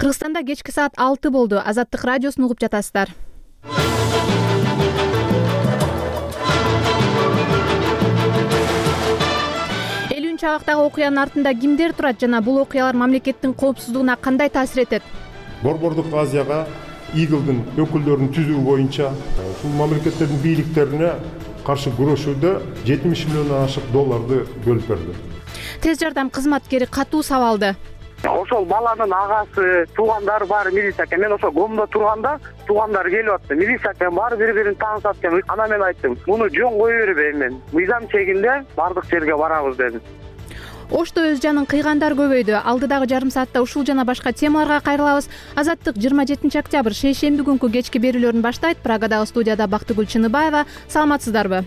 Кыргызстанда кечки саат 6 болду. Азаттык радиосун угуп жатасыздар. Чагактагы окуянын артында кимдер турат жана бул окуялар мамлекеттин коопсуздугуна кандай таасир этет? Борбордук Азияга Игылдын өкүлдөрүн түзүү боюнча ушул мамлекеттердин бийликтерине каршы күрөшүүдө 70 миллиондон ашык долларды бөлүп берди. Тез жардам кызматкери катуу сабалды. Ошол баланын агасы, туугандары баары милиция экен. Мен ошол гомдо турганда туугандары келип атты. Милиция экен, баары бири-бирин таанышат экен. Анан мен айттым, муну жөн кое бербейм мен. Мыйзам чегинде бардык жерге барабыз дедим. Ошто өз жанын кыйгандар көбөйдү. Алдыдагы жарым саатта ушул жана башка темаларга кайрылабыз. Азаттык 27 октябрь шейшемби күнкү кечки берүүлөрүн баштайт. Прагадагы студияда Бактыгүл Чыныбаева. Саламатсыздарбы?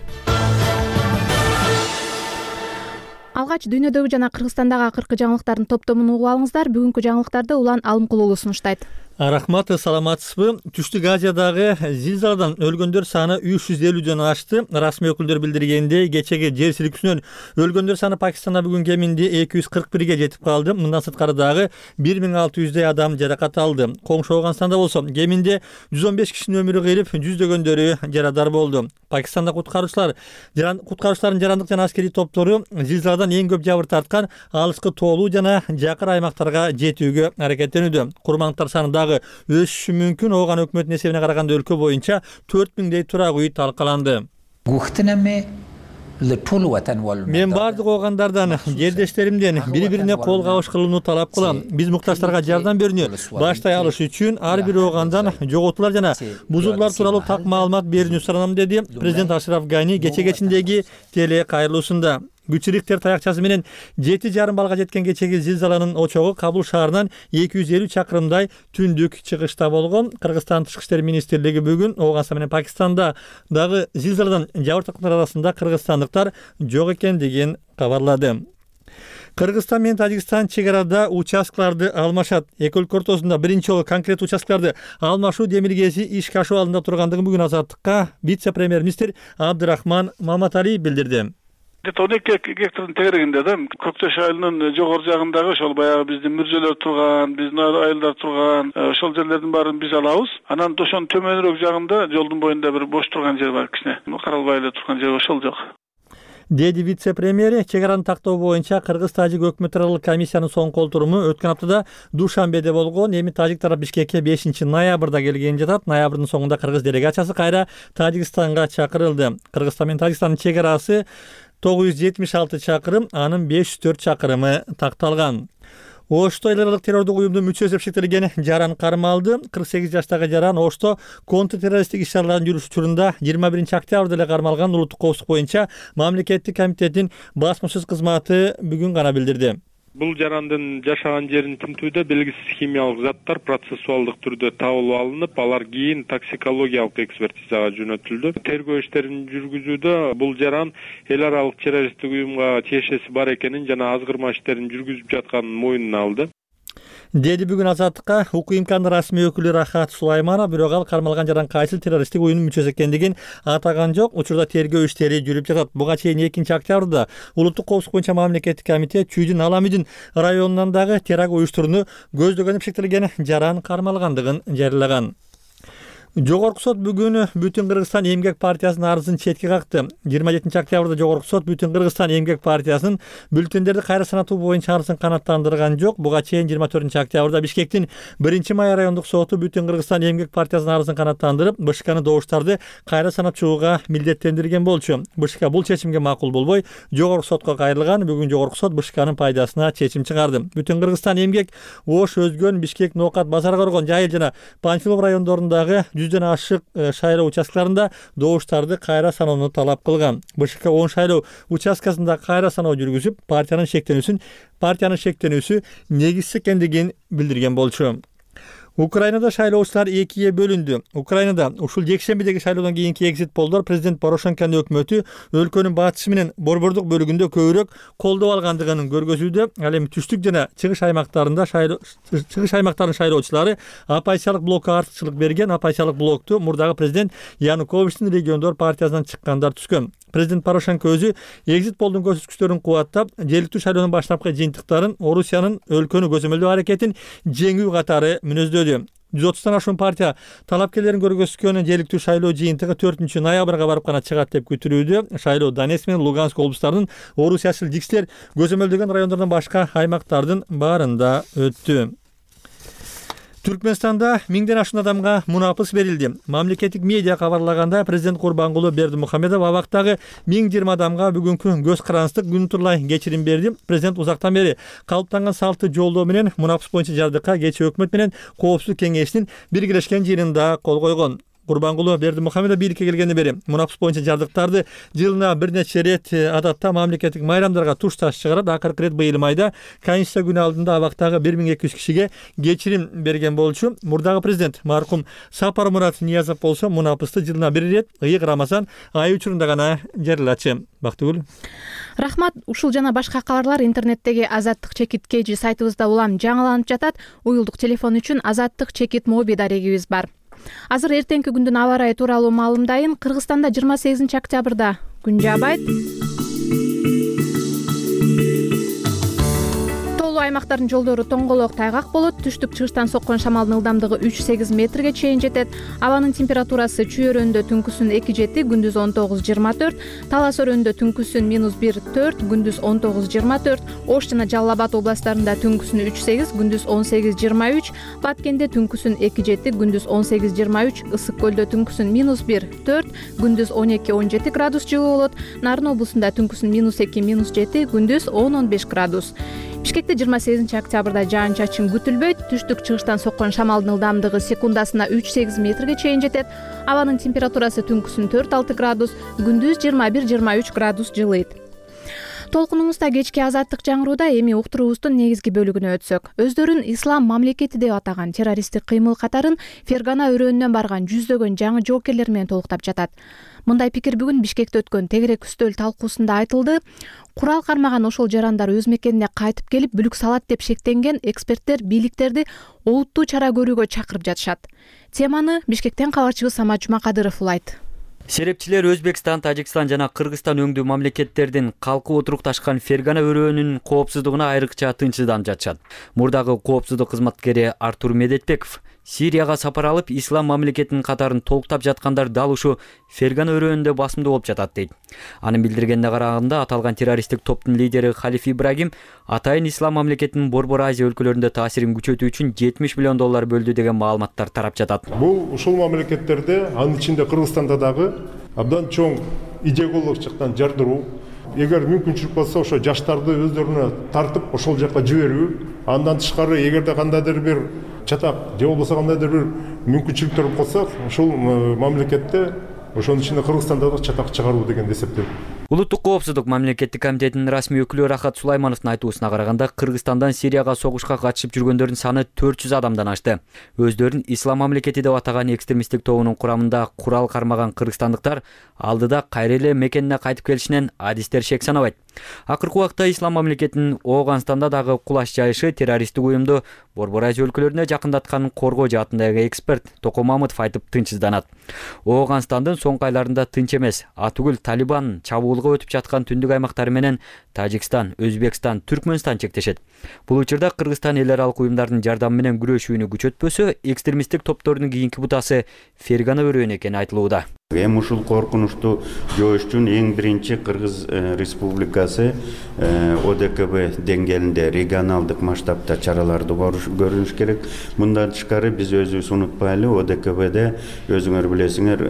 Алгач дүйнөдөгү жана Кыргызстандагы акыркы жаңылыктардын топтомун угуп алыңыздар. Бүгүнкү жаңылыктарды Улан Алымкулуулу сунуштайт. Рахмат, саламатсызбы? Түштүк Азиядагы зилзаладан өлгөндөр саны 350дөн ашты. Расмий өкүлдөр билдиргендей, кечеги жер силкүүсүнөн өлгөндөр саны Пакистанда бүгүн кеминде 241ге жетип калды. Мындан сырткары дагы 1600 адам жаракат алды. Коңшу Ауганстанда болсо кеминде 115 кишинин өмүрү кыйрып, жүздөгөндөрү жарадар болду. Пакистанда куткаруучулардын жарандык жана аскерий топтору зилзаладан эң көп жабыр тарткан алыскы тоолуу жана жакыр аймактарга жетүүгө аракеттенүүдө. Курмандыктар саны өсүшү мүмкүн. Ооган өкмөтүнүн эсебине караганда өлкө боюнча 4000дей турак үй талкаланды. Мен бардык оогандардан, жердештеримден бири-бирине кол кабыш кылууну талап кылам. Биз муктаждарга жардам берүүнү баштай алыш үчүн ар бир оогандан жоготуулар жана бузулуулар тууралуу так маалымат берүүнү суранам, деди президент Ашраф Гани кечиндеги теле кайрылуусунда. Күчүрүктер таякчасы менен 7,5 балга жеткен кечеги зилзаланын очогу Кабул шаарынан 250 чакырымдай түндүк чыгышта болгон. Кыргызстан Тышкы иштер министрлиги бүгүн Ооганстан менен Пакистанда дагы зилзаладан жабыр тарткандар арасында кыргызстандыктар жок экендигин кабарлады. Кыргызстан менен Тажикстан чек арада участкаларды алмашат. Эки өлкө ортосунда биринчи жолу конкрет участкаларды алмашуу демилгеси ишке ашуу алдында тургандыгын бүгүн Азаттыкка вице-премьер-министр Абдырахман Маматалиев билдирди. 12 гектардын тегерегинде да Көктөш айылынын жогору жагындагы ошол баягы биздин мүрзөлөр турган, биздин айылдар турган ошол жерлердин баарын биз алабыз. Анан ошонун төмөнүрөөк жагында жолдун боюнда бир бош турган жер бар, кичине каралбай эле турган жер ошол жок. Деди вице-премьери чек араны тактоо боюнча Кыргыз-Тажик өкмөт аралык комиссиянын соңку отуруму өткөн аптада Душанбеде болгон. Эми Тажик тарап Бишкекке 5 ноябрда келген жатат. Ноябрдын соңунда Кыргыз делегациясы кайра Тажикстанга чакырылды. Кыргызстан менен Тажикстандын чек арасы 976 чакырым, анын 504 чакырымы такталган. Ошто эл аралык террордук уюмдун мүчөсү деп шектелген Жаран кармалды. 48 жаштагы Жаран Ошто контртеррористтик иш-чараларын жүргүзүү учурунда 21 октябрда эле кармалган. Улуттук коопсуздук боюнча мамлекеттик комитеттин басмашсыз кызматы бүгүн гана билдирди. Бул жарандын жашаган жерин тинтүүдө белгисиз химиялык заттар процессуалдык түрдө табылып алынып, алар кийин токсикологиялык экспертизага жөнөтүлдү. Тергөө иштерин жүргүзүүдө бул жаран эл аралык террористтик уюмга тиешеси бар экенин жана азгырма иштерин жүргүзүп жатканын мойнуна алды. Деди бүгүн Азаттыкка УКМКнын расмий өкүлү Рахат Сулайманов, бирок ал кармалган жаран кайсыл террористтик уюмдун мүчөсү экендигин атаган жок. Учурда тергөө иштери жүрүп жатат. Буга чейин 2 октябрда Улуттук коопсуздук боюнча мамлекеттик комитет Чүйдүн Аламидин районунан дагы теракт уюштурууну көздөгөн деп шектелген жаран кармалгандыгын жарыялаган. Жогорку сот бүгүн Бүтүн Кыргызстан эмгек партиясынын арызын четке какты. 27 октябрда Жогорку сот Бүтүн Кыргызстан эмгек партиясынын бюллетендерди кайра санатуу боюнча арызын канааттандырган жок. Буга чейин 24 октябрда Бишкектин 1-Май райондук соту Бүтүн Кыргызстан эмгек партиясынын арызын канааттандырып, БШКны добуштарды кайра санатчууга милдеттендирген болчу. БШК бул чечимге макул болбой, Жогорку сотко кайрылган. Бүгүн Жогорку сот БШКнын пайдасына чечим чыгарды. Бүтүн Кыргызстан эмгек Ош, Өзгөн, Бишкек, Ноокат, Базар Коргон, Жайыл жана Панфилов райондорундагы 100дөн ашык шайлоо участкаларында добуштарды кайра саноону талап кылган. БШК 10 шайлоо участкасында кайра саноо жүргүзүп, партиянын шектенүүсү негизсиз экендигин билдирген болчу. Украинада шайлоочулар экиге бөлүндү. Украинада ушул жекшембидеги шайлоодон кийинки экзит полдор президент Порошенконун өкмөтү өлкөнүн батышы менен борбордук бөлүгүндө көбүрөөк колдоо алгандыгын көргөзүүдө. Ал эми түштүк жана чыгыш аймактардын шайлоочулары оппозициялык блокко артыкчылык берген. Оппозициялык блокту мурдагы президент Януковичтин региондор партиясынан чыккандар түзгөн. Президент Порошенко өзү экзит полдун көрсөткүчтөрүн кубаттап, жергиликтүү шайлоонун баштапкы жыйынтыктарын Орусиянын өлкөнү көзөмөлдөө аракетин жеңүү катары мүнөздөдү. 130тан ашуун партия талапкерлерин көргөзгөн жергиликтүү шайлоо жыйынтыгы 4-ноябрга барып гана чыгат деп күтүлүүдө. Шайлоо Донецк менен Луганск облустарынын орусиячыл жикстер көзөмөлдөгөн райондордун башка аймактардын баарында өттү. Түркмөнстанда 1000ден ашуун адамга мунапыс берилди. Мамлекеттик медиа кабарлаганда президент Курбангулы Бердимухамедов абактагы 1020 адамга бүгүнкү көз карандык күн турлай кечирим берди. Президент узактан бери калыптанган салттуу жолдоо менен мунапыс боюнча жардыкка кечээ өкмөт менен Коопсуздук кеңешинин биргелешкен жыйынында кол койгон. Курбангулы Бердимухамедов бийликке келгенден бери мунапыс боюнча жардыктарды жылына бир нече рет адатта мамлекеттик майрамдарга туш таш чыгарат. Акыркы ирет быйыл майда Конституция күнү алдында абактагы 1200 кишиге кечирим берген болчу. Мурдагы президент маркум Сапармурат Ниязов болсо мунапысты жылына бир рет ыйык Рамазан айы учурунда гана жарыялачы. Бактыгүл. Рахмат. Ушул жана башка кабарлар интернеттеги Азаттык чекит KG сайтыбызда улам жаңыланып жатат. Уюлдук телефон үчүн Азаттык чекит моби дарегибиз бар. Азыр эртеңки күндүн аба ырайы тууралуу маалымдайын. Кыргызстанда 28 октябрда күн жаабайт. Аймактардын жолдору тоңголок тайгак болот. Түштүк-чыгыштан соккон шамалдын ылдамдыгы 3-8 метрге чейин жетет. Абанын температурасы чүйөрөндө түнкүсүн 2-7, күндүз 19-24, Талас өрөндө түнкүсүн -1-4, күндүз 19-24, Ош жана Жалал Абад областарында түнкүсүн 3-8, күндүз 18-23, Баткенде түнкүсүн 2-7, күндүз 18-23, Ысык көлдө түнкүсүн -1-4, күндүз 12-17 градус жылуу болот. Нарын облусунда түнкүсүн -2-7, күндүз 10-15 градус. Бишкекте 28 октябрда жаан-чачын күтүлбөйт. Түштүк-чыгыштан соккон шамалдын ылдамдыгы секундасына 3-8 метрге чейин жетет. Абанын температурасы түнкүсүн 4-6 градус, күндүз 21-23 градус жылыйт. Толкунубузда кечки Азаттык жаңырууда эми уктуруубуздун негизги бөлүгүнө өтсөк. Өздөрүн ислам мамлекети деп атаган террористтик кыймыл катарын Фергана өрөөнүнөн барган жүздөгөн жаңы жоокерлер менен толуктап жатат. Мындай пикир бүгүн Бишкекте өткөн тегерек үстөл талкуусунда айтылды. Курал кармаган ошол жарандар өз мекенине кайтып келип бүлүк салат деп шектенген эксперттер бийликтерди олуттуу чара көрүүгө чакырып жатышат. Теманы Бишкектен кабарчыбыз Самат Жумакадыров улайт. Серепчилер Өзбекстан, Тажикстан жана Кыргызстан өңдүү мамлекеттердин калкып отурукташкан Фергана өрөөнүнүн коопсуздугуна айрыкча тынчсызданып жатышат. Мурдагы коопсуздук кызматкери Артур Медетбеков Сирияга сапар алып, ислам мамлекетинин катарын толуктап жаткандар дал ушу Фергана өрөөнүндө басымдуу болуп жатат дейт. Анын билдиргенине караганда, аталган террористтик топтун лидери Халиф Ибрагим атайын ислам мамлекетинин Борбор Азия өлкөлөрүндө таасирин күчөтүү үчүн $70 миллион бөлдү деген маалыматтар тарап жатат. Бул ушул мамлекеттерде, анын ичинде Кыргызстанда дагы абдан чоң идеологиялык жактан жардыруу, эгер мүмкүнчүлүк болсо ошо жаштарды өздөрүнө тартып ошол жакка жиберүү, андан тышкары эгерде кандайдыр бир чатак же болбосо кандайдыр бир мүмкүнчүлүктөр болсо ушул мамлекетте ошонун ичинде Кыргызстанда да чатак чыгаруу деген эсептейм. Улуттук коопсуздук мамлекеттик комитетинин расмий өкүлү Рахат Сулаймановдун айтуусуна караганда, Кыргызстандан Сирияга согушка катышып жүргөндөрдүн саны 400 адамдан ашты. Өздөрүн ислам мамлекети деп атаган экстремисттик тобунун курамында курал кармаган кыргызстандыктар алдыда кайра эле мекенине кайтып келишинен адистер шек санабайт. Акыркы убакта ислам мамлекетинин Ооганстанда дагы кулаш жайышы террористтик уюмду Борбор Азия өлкөлөрүнө жакындатканын коргоо жаатындагы эксперт Токо Мамытов айтып тынчсызданат. Ооганстандын соңку айларында тынч эмес, атүгүл Талибан чабуулга өтүп жаткан түндүк аймактары менен Тажикстан, Өзбекстан, Түркмөнстан чектешет. Бул учурда Кыргызстан эл аралык уюмдардын жардамы менен күрөшүүнү күчөтпөсө, экстремисттик топтордун кийинки бутасы Фергана өрөөнү экени айтылууда. Эми ушул коркунучту жоош үчүн эң биринчи Кыргыз Республикасы ОДКБ деңгээлинде регионалдык масштабта чараларды көрүш керек. Мындан тышкары биз өзүбүз унутпайлы, ОДКБде өзүңөр билесиңер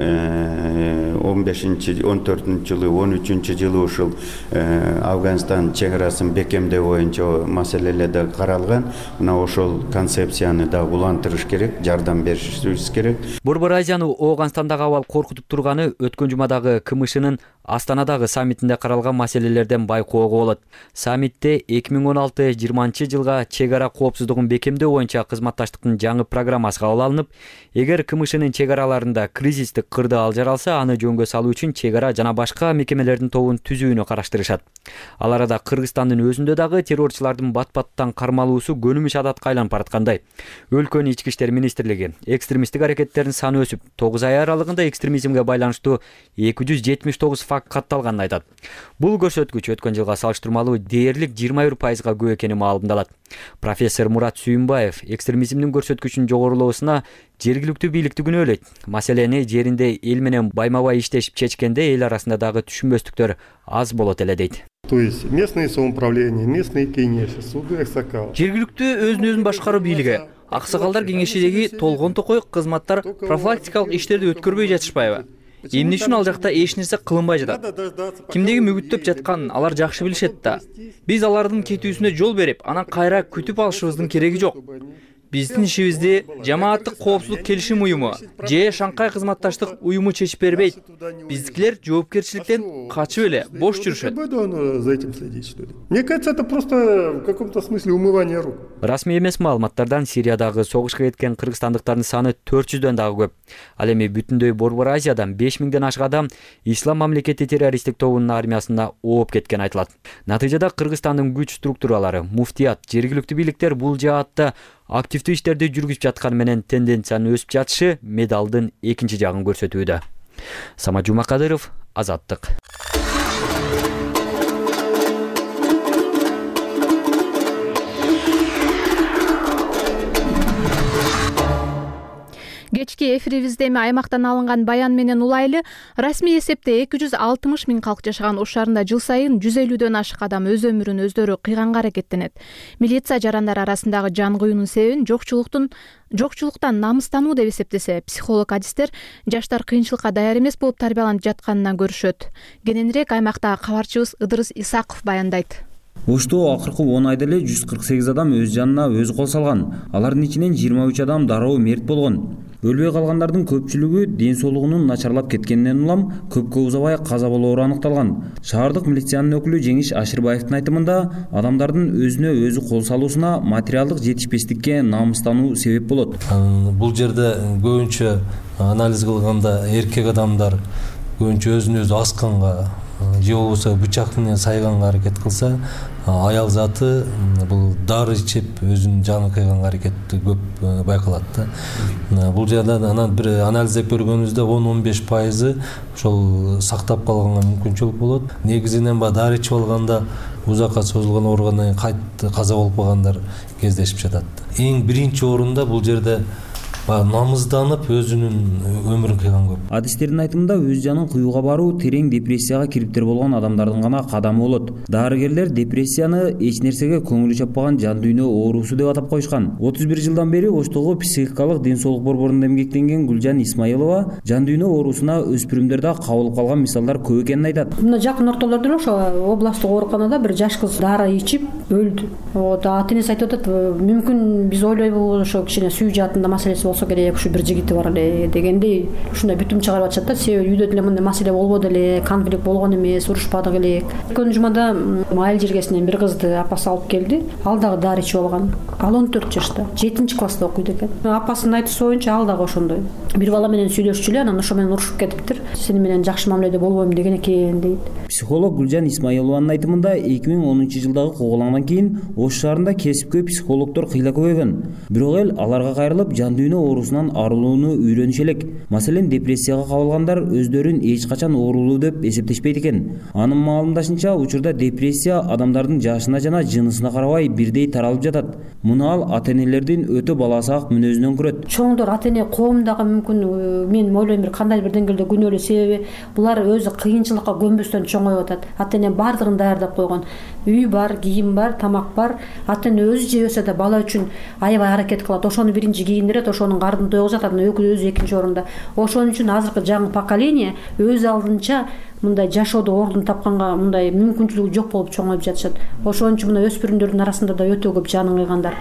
14 жылы, 13 жылы ушул Афганистан чек арасын бекемдөө боюнча маселелер да каралган. Мына ошол концепцияны да улантырыш керек, жардам беришибиз керек. Борбор Азияны Ооганстандагы абал коркутуп турганы өткөн жумадагы КМШнын Астанадагы саммитинде каралган маселелерден байкоого болот. Саммитте 2016-20 жылга чек ара коопсуздугун бекемдөө боюнча кызматташтыктын жаңы программасы кабыл алынып, эгер КМШнын чек араларында кризистик кырдаал жаралса, аны жөнгө салуу үчүн чек ара жана башка мекемелердин тобун түзүүнү караштырышат. Ал арада Кыргызстандын өзүндө дагы террорчулардын бат-баттан кармалуусу көнүмүш адатка айланып бараткандай. Өлкөнүн ички иштер министрлиги экстремисттик аракеттердин саны өсүп, 9 ай аралыгында экстремизмге байланыштуу 279 факт катталганын айтат. Бул көрсөткүч өткөн жылга салыштырмалуу дээрлик 21%га көп экени маалымдалат. Профессор Мурат Сүйүнбаев экстремизмдин көрсөткүчүнүн жогорулоосуна жергиликтүү бийликти күнөөлөйт. Маселени жеринде эл менен байма-бай иштешип чечкенде эл арасында дагы түшүнбөстүктөр аз болот эле дейт. То есть местные самоуправления, местные кеңеши, суды, аксакал. Жергиликтүү өзүн башкаруу бийлиги, аксакалдар кеңешидеги толгон токой кызматтар профилактикалык иштерди өткөрбөй жатышпайбы? Эмне үчүн ал жакта эч нерсе кылынбай жатат? Кимдеги мүгүттөп жатканын алар жакшы билишет да. Биз алардын кетүүсүнө жол берип, анан кайра күтүп алышыбыздын кереги жок. Биздин ишибизди жамааттык коопсуздук келишим уюму же Шанхай кызматташтык уюму чечип бербейт. Биздикилер жоопкерчиликтен качып эле бош жүрүшөт. Мне кажется, это просто в каком-то смысле умывание рук. Расмий эмес маалыматтардан Сириядагы согушка кеткен кыргызстандыктардын саны 400дөн дагы көп. Ал эми бүтүндөй Борбор Азиядан 5000ден ашык адам Ислам мамлекети террористтик тобунун армиясына ооп кеткен айтылат. Натыйжада Кыргызстандын күч структуралары, муфтият, жергиликтүү бийликтер бул жаатта активдүү иштерди жүргүзүп жатканы менен тенденциянын өсүп жатышы медалдын экинчи жагын көрсөтүүдө. Самат Жумакадыров, Азаттык. Кечки эфирибизде эми аймактан алынган баян менен улайлы. Расмий эсепте 260 миң калк жашаган Ош шаарында жыл сайын 150дөн ашык адам өз өмүрүн өздөрү кыйганга аракеттенет. Милиция жарандар арасындагы жан кыюунун себебин жокчулуктан намыстануу деп эсептесе, психолог адистер жаштар кыйынчылыкка даяр эмес болуп тарбияланып жатканынан көрүшөт. Кененирээк аймактагы кабарчыбыз Ыдырыс Исаков баяндайт. Ошто акыркы 10 айда эле 148 адам өз жанына өзү кол салган. Алардын ичинен 23 адам дароо мерт болгон. Өлбөй калгандардын көпчүлүгү ден соолугунун начарлап кеткенинен улам көпкө узабай каза болоору аныкталган. Шаардык милициянын өкүлү Жеңиш Ашырбаевдин айтымында, адамдардын өзүнө өзү кол салуусуна материалдык жетишпестикке намыстануу себеп болот. Бул жерде көбүнчө анализ кылганда эркек адамдар көбүнчө өзүн өзү асканга же болбосо бычак менен сайганга аракет кылса, аял заты бул дары ичип өзүнүн жанын кыйганга аракети көп байкалат да. Бул жерде анан бир анализдеп көргөнүбүздө 10-15% ошол сактап калганга мүмкүнчүлүк болот. Негизинен дары ичип алганда узакка созулган ооругандан кайра каза болуп калгандар кездешип жатат. Эң биринчи орунда бул жерде намызданып өзүнүн өмүрүн кыйган көп. Адистердин айтымында өз жанын кыюуга баруу терең депрессияга кириптер болгон адамдардын гана кадамы болот. Дарыгерлер депрессияны эч нерсеге көңүлү чаппаган жан дүйнө оорусу деп атап койушкан. 31 жылдан бери Оштогу психикалык ден соолук борборунда эмгектенген Гүлжан Исмаилова жан дүйнө оорусуна өспүрүмдөрдө кабылып калган мисалдар көп экенин айтат. Мына жакын ортолордо эле ошо областтык ооруканада бир жаш кыз дары ичип өлдү. Ата энеси айтып атат, мүмкүн биз ойлойбуз ошо кичине сүйүү жаатында маселеси болсо керек, ушу бир жигити бар эле дегендей ушундай бүтүм чыгарып атышат да. Себеби үйдө деле мындай маселе болбоду эле, конфликт болгон эмес, урушпадык элек. Өткөн жумада айыл жергесинен бир кызды апасы алып келди. Ал дагы дары ичип алган. Ал 14 жашта, 7-класста окуйт экен. Апасынын айтуусу боюнча ал дагы ошондой. Бир бала менен сүйлөшчү эле, анан ошо менен урушуп кетиптир. Сени менен жакшы мамиледе болбойм деген экен дейт. Психолог Гүлжан Исмаилованын айтымында 2010 жылдагы куугулаңдан кийин Ош шаарында кесипкөй психологдор кыйла көбөйгөн. Бирок эл аларга кайрылып жан дүйнө оорусунан арылууну үйрөнүш элек. Маселен, депрессияга кабылгандар өздөрүн эч качан оорулуу деп эсептешпейт экен. Анын маалымдашынча, учурда депрессия адамдардын жашына жана жынысына карабай бирдей таралып жатат. Муну ал ата-энелердин өтө баласаак мүнөзүнөн көрөт. Чоңдор ата-эне коомдагы мүмкүн мен ойлойм бир кандай бир деңгээлде күнөөлүү, себеби булар өзү кыйынчылыкка көнбөстөн чоңоюп атат. Ата-эне баардыгын даярдап койгон. Үй бар, кийим бар, тамак бар. Ата-эне өзү жебесе да бала үчүн аябай аракет кылат. Ошону биринчи кийиндирет, ошонун кардын тойгузат, анан өзү экинчи орунда. Ошон үчүн азыркы жаңы поколение өз алдынча мындай жашоодо ордун тапканга мындай мүмкүнчүлүгү жок болуп чоңоюп жатышат. Ошон үчүн мына өспүрүмдөрдүн арасында да өтө көп жанын кыйгандар.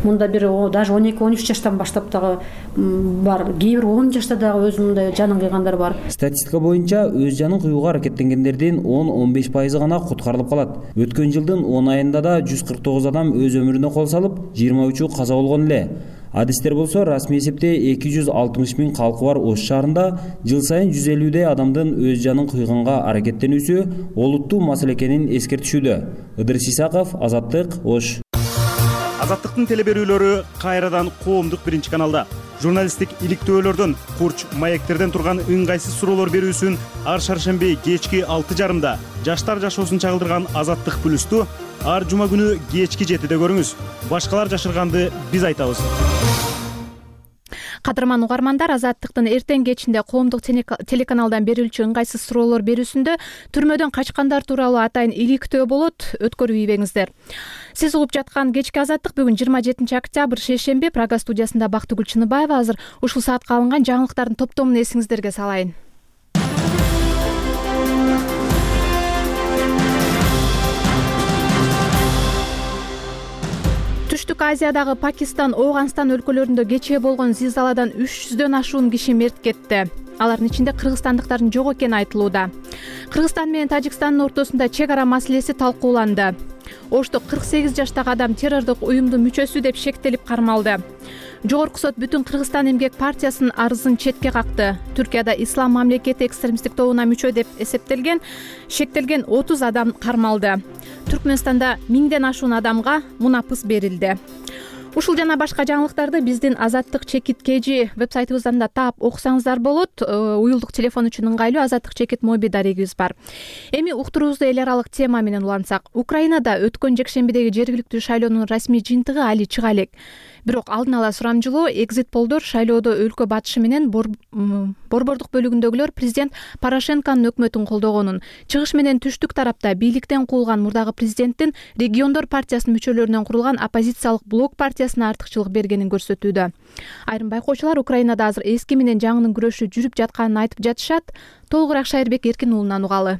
Мында бир даже 12-13 жаштан баштап дагы бар. Кээ бир 10 жашта дагы өзү мындай жанын кыйгандар бар. Статистика боюнча өз жанын кыюуга аракеттенгендердин 10-15% гана куткарылып калат. Өткөн жылдын 10 айында да 149 адам өз өмүрүнө кол салып, 23-ü каза болгон эле. Адистер болсо расмий эсепте 260 000 калкы бар Ош шаарында жыл сайын 150 адамдын өз жанын кыйганга аракеттенүүсү олуттуу маселе экенин эскертишүүдө. Ыдырыс Исаков, Азаттык, Ош. Азаттыктын телеберүүлөрү кайрадан коомдук биринчи каналда. Журналисттик иликтөөлөрдөн, курч маектерден турган ыңгайсыз суроолор берүүсүн ар шаршемби кечки 6:30 жаштар жашоосун чагылдырган Азаттык плюсту ар жума күнү кечки 7-де көрүңүз. Башкалар жашырганды биз айтабыз. Кадырман угармандар, Азаттыктын эртең кечинде коомдук телеканалдан берилчү ыңгайсыз суроолор берүүсүндө түрмөдөн качкандар тууралуу атайын иликтөө болот. Өткөрүп ийбеңиздер. Сиз угуп жаткан кечки Азаттык бүгүн 27 октябрь шейшемби Прага студиясында Бактыгүл Чыныбаева. Азыр ушул саатка алынган жаңылыктардын топтомун эсиңиздерге салайын. Түштүк Азиядагы Пакистан, Ооганстан өлкөлөрүндө кечээ болгон зилзаладан 300дөн ашуун киши мерт кетти. Алардын ичинде кыргызстандыктардын жок экени айтылууда. Кыргызстан менен Тажикстандын ортосунда чек ара маселеси талкууланды. Ошто 48 жаштагы адам террордук уюмдун мүчөсү деп шектелип кармалды. Жогорку сот бүтүн Кыргызстан эмгек партиясынын арызын четке какты. Түркияда Ислам мамлекети экстремисттик тобуна мүчө деп шектелген 30 адам кармалды. Түркмөнстанда 1000ден ашуун адамга мунапыс берилди. Ушул жана башка жаңылыктарды биздин Азаттык чекит KG вебсайтыбыздан да таап окусаңыздар болот. Уюлдук телефон үчүн ыңгайлуу Азаттык чекит моби дарегибиз бар. Эми уктуруубузду эл аралык тема менен улантсак, Украинада өткөн жекшембидеги жергиликтүү шайлоонун расмий жыйынтыгы али чыга элек. Бирок алдын ала сурамжылоо экзит полдор шайлоодо өлкө батышы менен борбордук бөлүгүндөгүлөр президент Порошенконун өкмөтүн колдогонун, чыгыш менен түштүк тарапта бийликтен куулган мурдагы президенттин региондор партиясынын мүчөлөрүнөн курулган оппозициялык блок партиясына артыкчылык бергенин көрсөтүүдө. Айрым байкоочулар Украинада азыр эски менен жаңынын күрөшү жүрүп жатканын айтып жатышат. Толугураак Шайырбек Эркин уулунан угалы.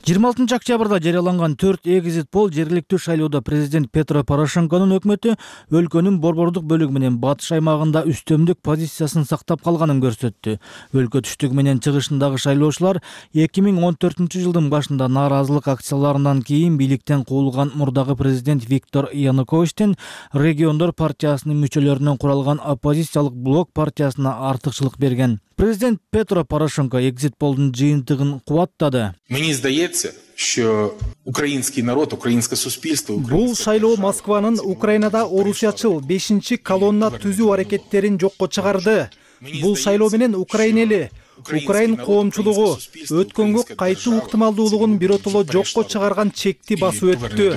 26 октябрда жарыяланган 4 экзит пол жергиликтүү шайлоодо президент Петро Порошенконун өкмөтү өлкөнүн борбордук бөлүгү менен батыш аймагында үстөмдүк позициясын сактап калганын көрсөттү. Өлкө түштүк менен чыгышындагы шайлоочулар 2014-жылдын башында нааразылык акцияларынан кийин бийликтен куулган мурдагы президент Виктор Януковичтин региондор партиясынын мүчөлөрүнөн куралган оппозициялык блок партиясына артыкчылык берген. Президент Петро Порошенко экзит полдун жыйынтыгын кубаттады. Мне здається, що український народ, українське суспільство... Бул шайлоо Москванын Украинада орусячыл 5-чи колонна түзүү аракеттерин жокко чыгарды. Бул шайлоо менен Украина эли, Украин коомчулугу өткөнгө кайтуу ыктымалдуулугун биротоло жокко чыгарган чекти басып өттү.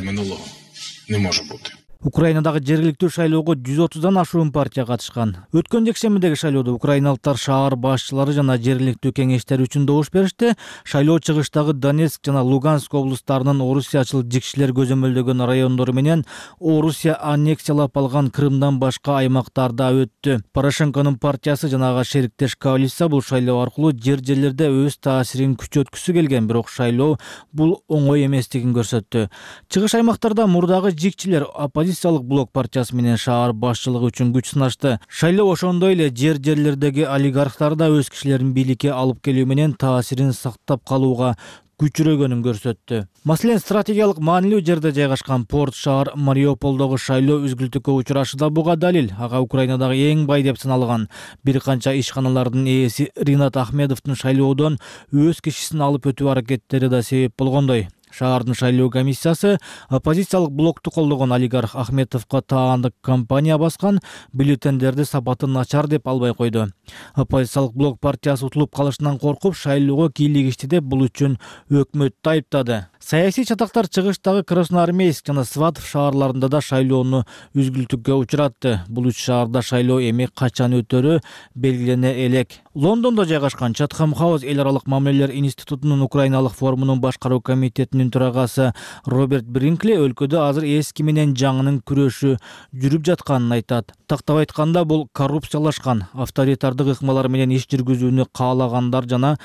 Не може бути. Украинадагы жергиликтүү шайлоого 130дан ашуун партия катышкан. Өткөн жекшембидеги шайлоодо украиналыктар шаар башчылары жана жергиликтүү кеңештер үчүн добуш беришти. Шайлоо чыгыштагы Донецк жана Луганск облустарынын орусиячыл жикшилер көзөмөлдөгөн райондору менен Орусия аннексиялап алган Крымдан башка аймактарда өттү. Порошенконун партиясы жана ага шериктеш коалиция бул шайлоо аркылуу жерлерде өз таасирин күчөткүсү келген, бирок шайлоо бул оңой эместигин көрсөттү. Чыгыш аймактарда мурдагы жикчилер оппозициялык блок партиясы менен шаар башчылыгы үчүн күч сынашты. Шайлоо ошондой эле жерлердеги олигархтар да өз кишилерин бийликке алып келүү менен таасирин сактап калууга күчүрөгөнүн көрсөттү. Маселен, стратегиялык маанилүү жерде жайгашкан порт шаар Мариуполдогу шайлоо үзгүлтүккө учурашы да буга далил. Ага Украинадагы эң бай деп саналган бир канча ишканалардын ээси Ринат Ахмедовдун шайлоодон өз кишисин алып өтүү аракеттери да себеп болгондой. Шаардын шайлоо комиссиясы оппозициялык блокту колдогон олигарх Ахметовго таандык кампания баскан, бюллетендерди сапаты начар деп албай койду. Оппозициялык блок партиясы утулуп калышынан коркуп, шайлоого кийлигишти деп бул үчүн өкмөттү айыптады. Саясий чатактар чыгыштагы Красноармейск жана Сватов шаарларында да шайлоону үзгүлтүккө учуратты. Бул үч шаарда шайлоо эми качан өтөрү белгилене элек. Лондондо жайгашкан Чатхам Хаус эл аралык мамилелер институтунун Украиналык форумунун башкаруу комитетинин комитетинин төрагасы Роберт Бринкли өлкөдө азыр эски менен жаңынын күрөшү жүрүп жатканын айтат. Тактап айтканда, бул коррупциялашкан, авторитардык ыкмалар менен иш жүргүзүүнү каалагандар жана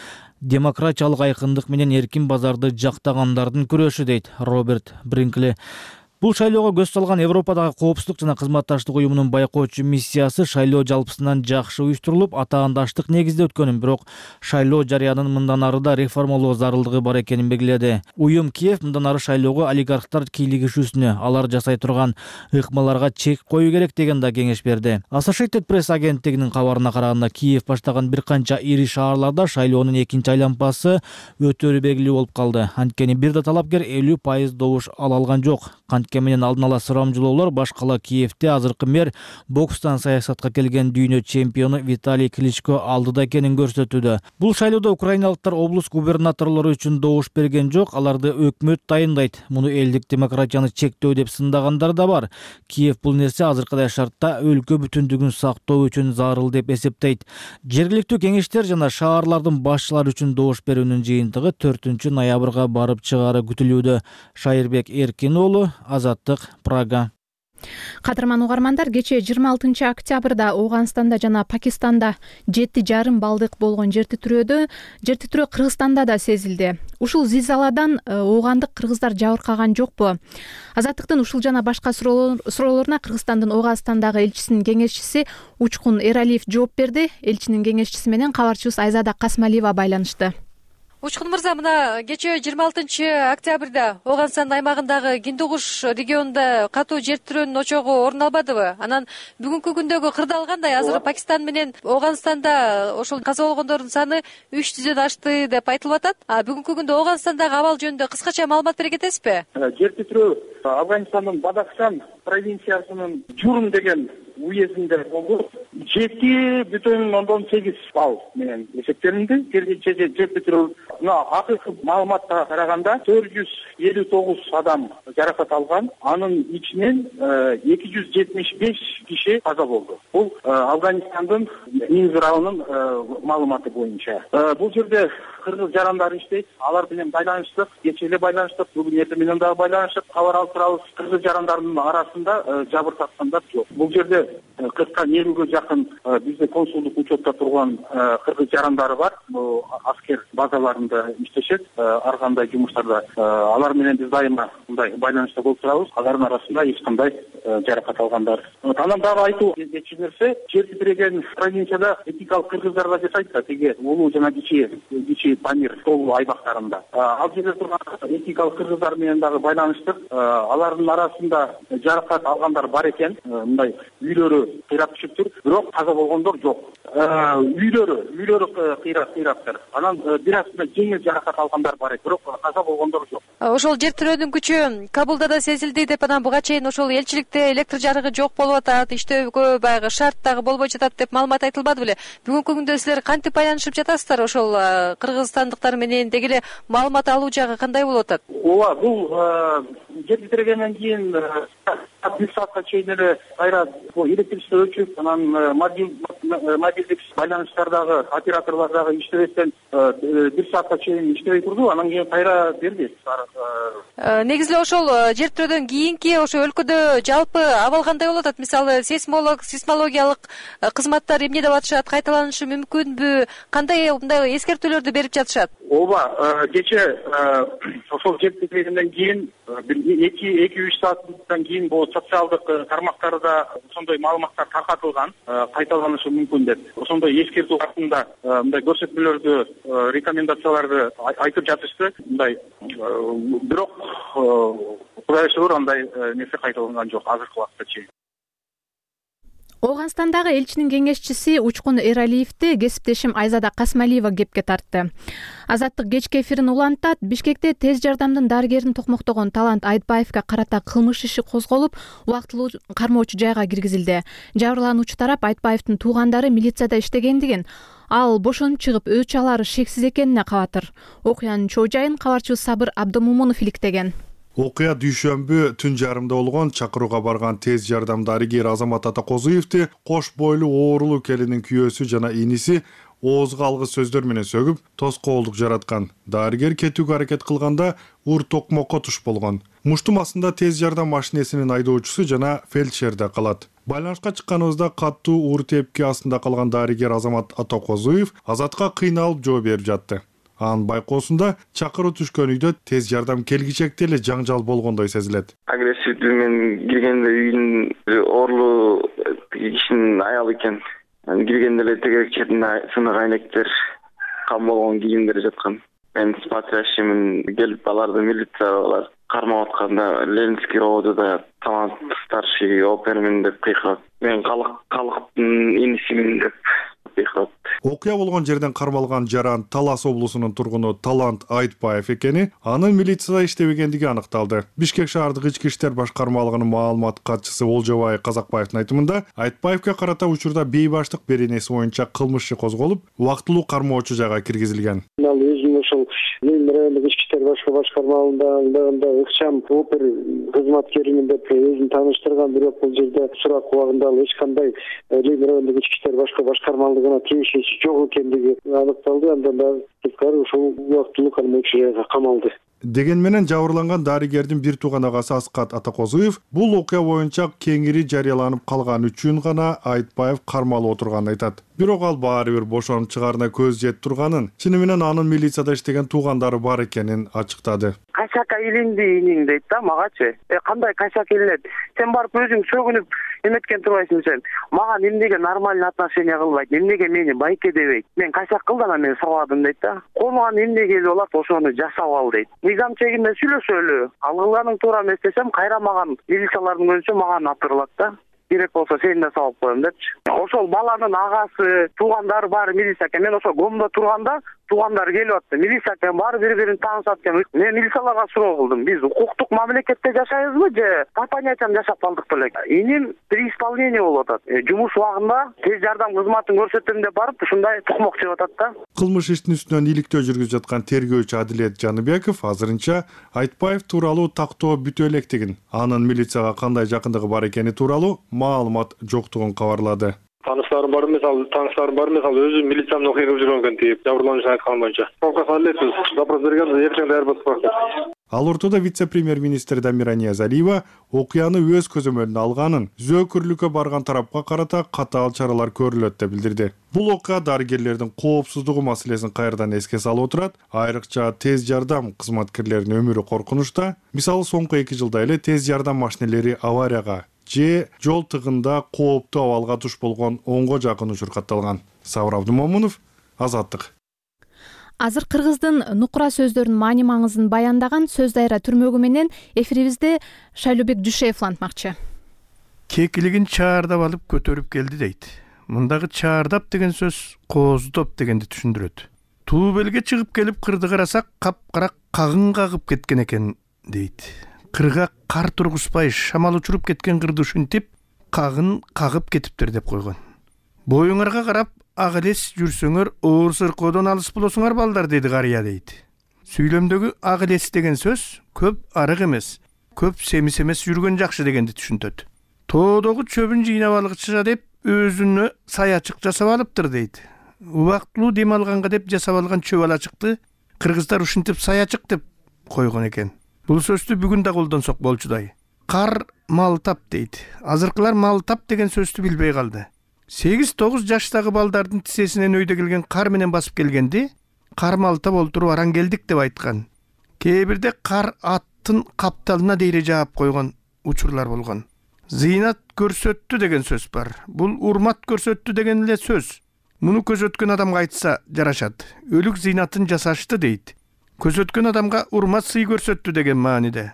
демократиялык айкындык менен эркин базарды жактагандардын күрөшү, дейт Роберт Бринкли. Бул шайлоого көз салган Европадагы коопсуздук жана кызматташтык уюмунун байкоочу миссиясы шайлоо жалпысынан жакшы уюштурулуп, атаандаштык негизде өткөнүн, бирок шайлоо жарыянын мындан ары да реформалоо зарылдыгы бар экенин белгиледи. Уюм Киев мындан ары шайлоого олигархтар кийлигишүүсүнө, алар жасай турган ыкмаларга чек коюу керек деген да кеңеш берди. Associated Press агенттигинин кабарына караганда, Киев баштаган бир канча ири шаарларда шайлоонун экинчи айлампасы өтөрү белгилүү болуп калды. Анткени бир да талапкер 50% добуш ала алган жок. Менен алдын ала сурамжылоолор башкала Киевде азыркы мэр бокстан саясатка келген дүйнө чемпиону Виталий Кличко алдыда экенин көрсөтүүдө. Бул шайлоодо украиналыктар облус губернаторлору үчүн добуш берген жок, аларды өкмөт дайындайт. Муну элдик демократияны чектөө деп сындагандар да бар. Киев бул нерсе азыркыдай шартта өлкө бүтүндүгүн сактоо үчүн зарыл деп эсептейт. Жергиликтүү кеңештер жана шаарлардын башчылары үчүн добуш берүүнүн жыйынтыгы 4-ноябрга барып чыгаары күтүлүүдө. Шайырбек Эркин уулу, Азаттык, Прага. Кадырман угармандар, кечээ 26 октябрда Ооганстанда жана Пакистанда 7,5 балдык болгон жер титирөө Кыргызстанда да сезилди. Ушул зилзаладан оогандык кыргыздар жабыркаган жокпу? Азаттыктын ушул жана башка суроолоруна Кыргызстандын Ооганстандагы элчисинин кеңешчиси Учкун Эралиев жооп берди. Элчинин кеңешчиси менен кабарчыбыз Айзада Касмалиева байланышты. Учкун мырза, мына кечээ 26 октябрда Ооганстан аймагындагы Киндугуш регионунда катуу жер титирөөнүн очогу орун албадыбы? Анан бүгүнкү күндөгү кырдаал кандай? Азыр Пакистан менен Ооганстанда ошол каза болгондордун саны 300дөн ашты деп айтылып атат. Бүгүнкү күндө Ооганстандагы абал жөнүндө кыскача маалымат бере кетесизби? Жер титирөө Афганистандын Бадахшан провинциясынын Журум деген уездинде болду. 7,8 балл менен эсептелинди. Жер титирөө акыркы маалыматка караганда 459 адам жаракат алган. Анын ичинен 275 киши каза болду. Бул Афганистандын Минзралынын маалыматы боюнча. Бул жерде кыргыз жарандар иштейт. Алар менен байланыштык, кечээ эле байланыштык, бүгүн эртең менен дагы байланыштык. Кабар алып турабыз. Кыргыз жарандардын арасында жабыркаткандар жок. Бул жерде 40-50 жакын бизде консулдук учетто турган кыргыз жарандары бар. Аскер базаларында иштешет, ар кандай жумуштарда. Алар менен биз дайыма мындай байланышта болуп турабыз. Алардын арасында эч кандай жаракат алгандар. Анан дагы айтуу кетчү нерсе, жер титиреген провинцияда этникалык кыргыздар да жашайт да, тиги улуу жана кичи Памир тоо аймактарында. Ал жерде турган этникалык кыргыздар менен дагы байланыштык. Алардын арасында жаракат алгандар бар экен. Мындай үйлөрү кыйрап түшүптүр, бирок каза болгондор жок. Үйлөрү кыйраптыр. Анан бир аз жеңил жаракат алгандар бар экен, бирок каза болгондор жок. Ошол жер титирөөнүн күчү Кабулда да сезилди деп, анан буга чейин ошол элчиликте электр жарыгы жок болуп атат, иштөөгө баягы шарт дагы болбой жатат деп маалымат айтылбады беле? Бүгүнкү күндө силер кантип байланышып жатасыздар ошол кыргызстандыктар менен? Деги эле маалымат алуу жагы кандай болуп атат? Ооба, бул жер титирегенден кийин бир саатка чейин эле кайра электричество өчүп, анан мобилдик байланыштардагы операторлор дагы иштебестен бир саатка чейин иштебей турду. Анан кийин кайра берди. Негизи эле ошол жер титирөөдөн кийинки ошо өлкөдө жалпы абал кандай болуп атат? Мисалы сейсмологиялык кызматтар эмне деп атышат? Кайталанышы мүмкүнбү? Кандай мындай эскертүүлөрдү берип жатышат? Ооба, кечээ ошол жер титирегенден кийин 2-3 сааттан кийин бул социалдык тармактарда ошондой маалыматтар таркатылган, кайталанышы мүмкүн деп. Ошондой эскертүү катында мындай көрсөтмөлөрдү, рекомендацияларды айтып жатышты. Мындай бирок Кудайга шүгүр андай нерсе кайталанган жок азыркы убакытта чейин. Ооганстандагы элчинин кеңешчиси Учкун Эралиевди кесиптешим Айзада Касмалиева кепке тартты. Азаттык кечки эфирин улантат. Бишкекте тез жардамдын дарыгерин токмоктогон Талант Айтбаевга карата кылмыш иши козголуп, убактылуу кармоочу жайга киргизилди. Жабырлануучу тарап Айтбаевдин туугандары милицияда иштегендигин, ал бошонуп чыгып өч алары шексиз экенине кабатыр. Окуянын чоо жайын кабарчыбыз Сабыр Абдымомунов иликтеген. Окуя дүйшөмбү түн жарымда болгон. Чакырууга барган тез жардам дарыгери Азамат Атакозуевди кош бойлуу оорулуу келинин күйөөсү жана иниси оозго алгыс сөздөр менен сөгүп, тоскоолдук жараткан. Дарыгер кетүүгө аракет кылганда ур токмокко туш болгон. Муштум астында тез жардам машинесинин айдоочусу жана фельдшер да калат. Байланышка чыкканыбызда каттуу уур тепки астында калган дарыгер Азамат Атакозуев Азатка кыйналып жооп берип жатты. Анын байкоосунда чакыруу түшкөн үйдө тез жардам келгичекте эле жаңжал болгондой сезилет. Агрессивдүү мен киргенде үйдүн орлуу кишинин аялы экен. Киргенде эле тегерек четинде сынык айнектер, кам болгон кийимдер жаткан. Мен смотрящиймин, келип аларды милициялар кармап атканда Ленинский ровдда талант старший опермен деп кыйкырат. Мен калктын инисимин деп кыйкырат. Окуя болгон жерден кармалган жаран Талас облусунун тургуну Талант Айтбаев экени, анын милицияда иштебегендиги аныкталды. Бишкек шаардык ички иштер башкармалыгынын маалымат катчысы Олжобай Казакбаевдин айтымында, Айтбаевге карата учурда бейбаштык беренеси боюнча кылмыш иши козголуп, убактылуу кармоочу жайга киргизилген. Ал өзүнүн ошол райондук ички иштер башкармалыгында ыкчам опер кызматкеримин деп өзүн тааныштырган, бирок бул жерде сурак убагында ал эч кандай райондук ички иштер башкармалыгына тиешеси жок экендиги аныкталды. Андан да тескери ошол убактылуу кармоочу жайга камалды. Деген менен жабырланган дарыгердин бир тууган агасы Аскат Атакозуев бул окуя боюнча кеңири жарыяланып калган үчүн гана Айтбаев кармалып отурганын айтат. Бирок ал баары бир бошонуп чыгаарына көз жетип турганын, чыны менен анын милицияда иштеген туугандары бар экенин ачыктады. Качака илинди иниң дейт да магачы. Кандай качак илинет? Сен барып өзүң сөгүнүп эметкен турбайсың сен. Мага эмнеге нормальный отношение кылбайт? Эмнеге мени байке дебейт? Мен качак кылдым, анан мен сабадым дейт да. Конуган эмне келип алат, ошону жасап ал дейт. Мыйзам чегинде сүйлөшөлү. Ал кылганың туура эмес десем, кайра маган милициялардын көзүнчө маган атырылат да. Керек болсо сени да салып коем депчи. Ошол баланын агасы, туугандары баары милиция экен. Мен ошол гомдо турганда туугандар келип атты. Милиция экен, баары бири-бирин таанышат экен. Мен милицияларга суроо кылдым. Биз укуктук мамлекетте жашайбызбы же по понятиям жашап калдык беле? Иним при исполнении болуп атат. Жумуш убагында тез жардам кызматын көрсөтөм деп барып ушундай тукмок жеп атат да. Кылмыш иштин үстүнөн иликтөө жүргүзүп жаткан тергөөчү Адилет Жаныбеков азырынча Айтбаев тууралуу тактоо бүтө электигин, анын милицияга кандай жакындыгы бар экени тууралуу маалымат жоктугун кабарлады. Тааныштарым бар эмес, өзү милициянын окуя кылып жүргөн экен дейт, жабырлануучунун айтканы боюнча. Толкуга алесиз, запрос берген, эртең даярбыз бар. Ал ортодо вице-премьер-министр Дамира Ниязалиева окуяны өз көзөмөлүнө алганын, зөөкүрлүккө барган тарапка карата катаал чаралар көрүлөт деп билдирди. Бул окуя дарыгерлердин коопсуздугу маселесин кайрадан эске салып отурат. Айрыкча тез жардам кызматкерлеринин өмүрү коркунучта. Мисалы соңку 2 жылда эле тез жардам машинелери аварияга же жол тыгында кооптуу абалга туш болгон 10го жакын учур катталган. Сабыр Абдумомунов, Азаттык. Азыр кыргыздын нукура сөздөрүнүн маани маңызын баяндаган сөз дайра түрмөгү менен эфирибизде Шайлообек Дүйшеев улантмакчы. Кекилигин чаардап алып көтөрүп келди дейт. Мындагы чаардап деген сөз кооздоп дегенди түшүндүрөт. Туу белге чыгып келип кырды карасак капкара кагын кагып кеткен экен дейт. Кырга кар тургузбай шамал учуруп кеткен кырды ушинтип кагын кагып кетиптир деп койгон. Боюңарга карап ак элес жүрсөңөр оор сыркоодон алыс болосуңар балдар деди карыя дейт. Сүйлөмдөгү ак элес деген сөз көп арык эмес, көп семис эмес жүргөн жакшы дегенди түшүнтөт. Тоодогу чөбүн жыйнап алгыча деп өзүнө саячык жасап алыптыр дейт. Убактылуу дем алганга деп жасап алган чөп алачыкты кыргыздар ушинтип саячык деп койгон экен. Бул сөздү бүгүн да колдонсок болчудай. Кар мал тап дейт. Азыркылар мал тап деген сөздү билбей калды. 8-9 жаштагы балдардын тизесинен өйдө келген кар менен басып келгенди кар малтап олтуруп араң келдик деп айткан. Кээ бирде кар аттын капталына дейре жаап койгон учурлар болгон. Зыйнат көрсөттү деген сөз бар. Бул урмат көрсөттү деген эле сөз. Муну көзөткөн адамга айтса жарашат. Өлүк зыйнатын жасашты дейт. Көзөткөн адамга урмат сый көрсөттү деген мааниде.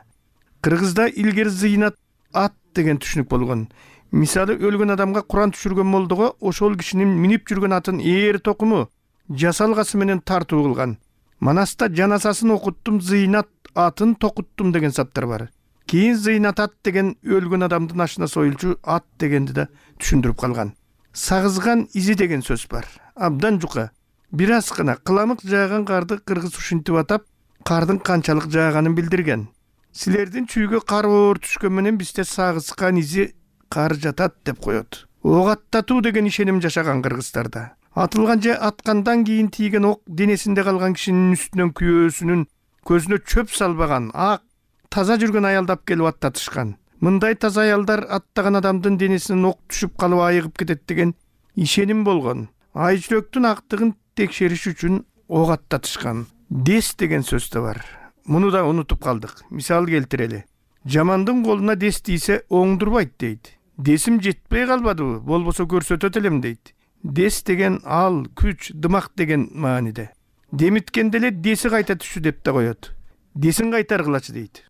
Кыргызда илгери зыйнат ат деген түшүнүк болгон. Мисалы өлгөн адамга Куран түшүргөн молдого ошол кишинин минип жүргөн атын ээр токуму жасалгасы менен тартуу кылган. Манаста жаназасын окуттум, зыйнат атын токуттум деген саптар бар. Кийин зыйнат ат деген өлгөн адамдын ашына союлчу ат дегенди да түшүндүрүп калган. Сагызган изи деген сөз бар. Абдан жука. Бир аз гана кыламык жааган карды кыргыз ушинтип атап, кардын канчалык жааганын билдирген. Силердин чүйгө кар оор түшкөн менен бизде сагызган изи кар жатат деп коет. Ок аттатуу деген ишеним жашаган кыргыздарда. атылган же аткандан кийин тийген ок денесинде калган кишинин үстүнөн күйөөсүнүн көзүнө чөп салбаган ак таза жүргөн аялды алып келип аттатышкан. Мындай таза аялдар аттаган адамдын денесинен ок түшүп калып айыгып кетет деген ишеним болгон. Ай жүрөктүн актыгын текшериш үчүн ок аттатышкан. Дес деген сөз да бар. Муну да унутуп калдык. Мисал келтирели. Жамандын колуна дес тийсе оңдурбайт дейт. Десим жетпей калбадыбы, болбосо көрсөтөт элем дейт. Дес деген ал, күч, дымак деген мааниде. Демиткенде эле деси кайта түшү деп да коет. Десин кайтаргылачы дейт.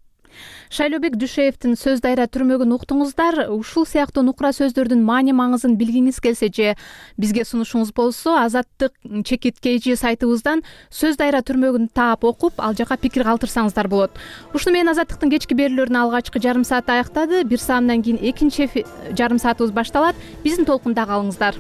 Шайлообек Дүйшеевдин сөз дайра түрмөгүн уктуңуздар. Ушул сыяктуу нукура сөздөрдүн маани маңызын билгиңиз келсе же бизге сунушуңуз болсо, Азаттык чекиткейчи сайтыбыздан сөз дайра түрмөгүн таап окуп, ал жака пикир калтырсаңыздар болот. Ушуну менен Азаттыктын кечки берүүлөрүнүн алгачкы жарым сааты аяктады. 1 саамдан кийин экинчи жарым саатыбыз башталат. Биздин толкунда калыңыздар.